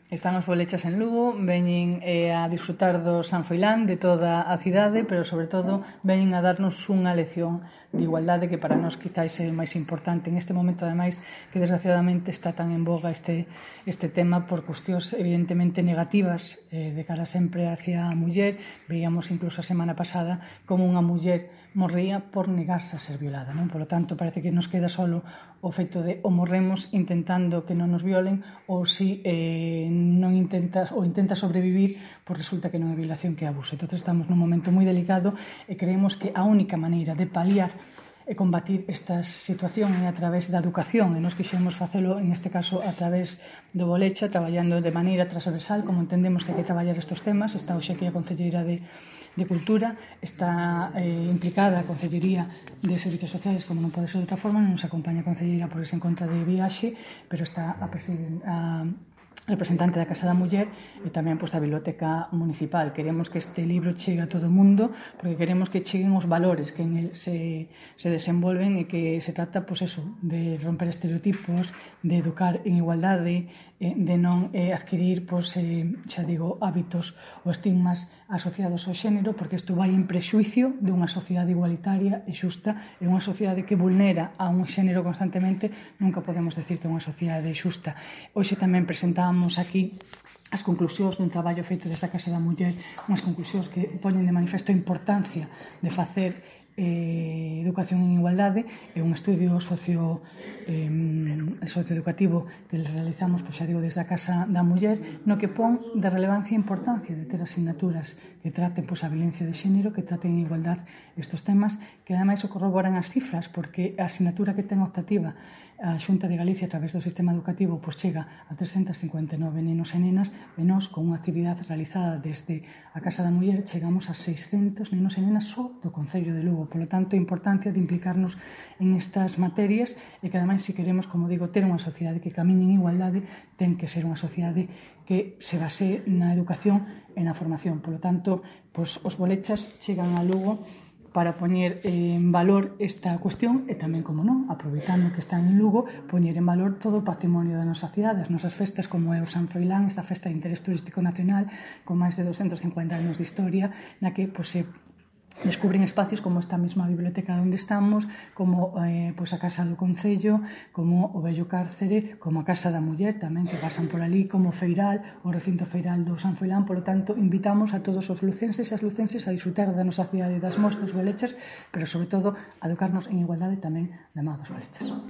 Están os bolechas en Lugo, veñen a disfrutar do San Froilán, de toda a cidade, pero sobre todo veñen a darnos unha lección de igualdade que para nós quizáis é o máis importante en este momento, ademais, que desgraciadamente está tan en boga este tema por cuestións evidentemente negativas de cara sempre hacia a muller. Veíamos incluso a semana pasada como unha muller morría por negarse a ser violada, non? Por lo tanto, parece que nos queda solo o feito de o morremos intentando que non nos violen ou si non intentas ou intentas sobrevivir, pois resulta que non é violación, que é abuso. Entón estamos nun momento moi delicado e creemos que a única maneira de paliar e combatir esta situación é a través da educación, e nos quixemos facelo en este caso a través do Bolecha, traballando de maneira transversal como entendemos que hai que traballar estes temas. Está hoxe aquí a Concelleira de Cultura, está implicada a Concellería de Servicios Sociales, como non pode ser de outra forma, non nos acompaña a Concelleira por ese encontro de viaxe, pero está a representante da Casa da Muller e tamén da Biblioteca Municipal. Queremos que este libro chegue a todo o mundo, porque queremos que cheguen os valores que en el se desenvolven e que se trata, de romper estereotipos, de educar en igualdade, de non adquirir, hábitos ou estigmas asociados ao xénero, porque isto vai en prexuicio dunha sociedade igualitaria e xusta, e unha sociedade que vulnera a un xénero constantemente. Nunca podemos decir que é unha sociedade xusta. Hoxe tamén presentábamos aquí as conclusións dun traballo feito desde a Casa da Muller, unhas conclusións que poñen de manifesto a importancia de facer educación en igualdade. É un estudio socioeducativo que realizamos, desde a Casa da Muller, no que pon de relevancia e importancia de ter asignaturas que traten a violencia de xénero, que traten en igualdade estes temas, que ademais o corroboran as cifras, porque a asignatura que ten optativa a Xunta de Galicia a través do sistema educativo chega a 359 nenos e nenas, e nós, con unha actividade realizada desde a Casa da Muller, chegamos a 600 nenos e nenas só do Concello de Lugo. Por lo tanto, a importancia de implicarnos en estas materias, e que ademais, se queremos, como digo, ter unha sociedade que camine en igualdade, ten que ser unha sociedade que se base na educación e na formación. Por lo tanto, os bolechas chegan a Lugo para poñer en valor esta cuestión e tamén, como non, aproveitando que están en Lugo, poñer en valor todo o patrimonio da nosa cidade, as nosas festas, como é o San Froilán, esta festa de interés turístico nacional con máis de 250 anos de historia, na que se descubren espacios como esta mesma biblioteca onde estamos, como a Casa do Concello, como o Vello Cárcere, como a Casa da Muller tamén, que pasan por ali, como o Feiral, o recinto feiral do San Froilán. Por lo tanto, invitamos a todos os lucenses e as lucenses a disfrutar da nosa cidade, das mostras bolechas, pero sobre todo a educarnos en igualdade tamén da má dos bolechas.